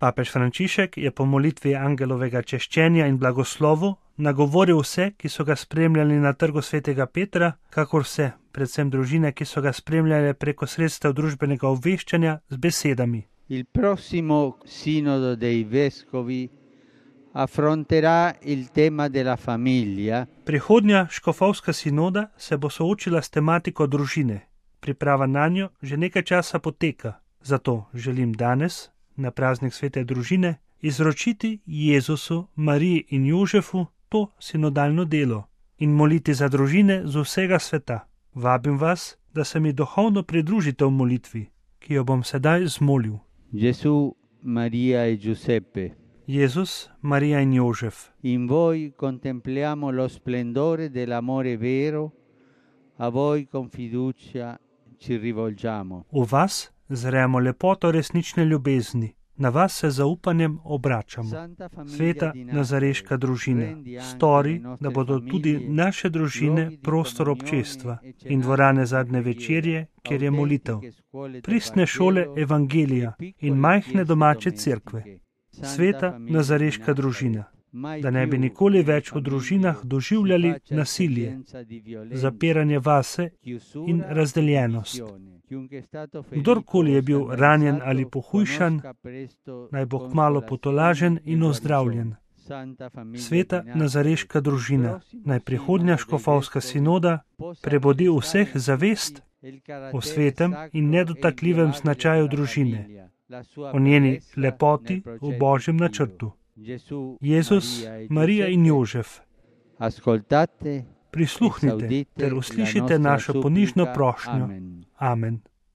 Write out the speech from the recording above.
Papež Frančišek je po molitvi angelovega češčenja in blagoslovu nagovoril vse, ki so ga spremljali na trgu svetega Petra, kakor vse, predvsem družine, ki so ga spremljali preko sredstev družbenega obveščanja z besedami. Il prossimo sinodo dei vescovi affronterà il tema della famiglia. Prihodnja škofovska sinoda se bo soočila s tematiko družine. Priprava nanjo že nekaj časa poteka, zato želim danes, na praznik svete družine, izročiti Jezusu, Mariji in Jožefu to sinodalno delo in moliti za družine z vsega sveta. Vabim vas, da se mi duhovno pridružite v molitvi, ki jo bom sedaj zmolil. Gesù, Maria e Giuseppe. Jezus, Marija in Jožef. In voi contempliamo lo splendore dell'amore vero, a voi con fiducia ci rivolgiamo. V vas zremo lepoto resnične ljubezni, na vas se zaupanjem obračamo. Sveta nazareška družina, stori, da bodo tudi naše družine prostor občestva in dvorane zadnje večerje, kjer je molitev, pristne šole evangelija in majhne domače cerkve. Sveta nazareška družina, da ne bi nikoli več v družinah doživljali nasilje, zapiranje vase in razdeljenost. Kdorkoli je bil ranjen ali pohujšan, naj bo kmalu potolažen in ozdravljen. Sveta nazareška družina, naj prihodnja škofovska sinoda prebudi vseh zavest o svetem in nedotakljivem značaju družine, o njeni lepoti v Božjem načrtu. Jezus, Marija in Jožef, prisluhnite ter uslišite našo ponižno prošnjo. Amen.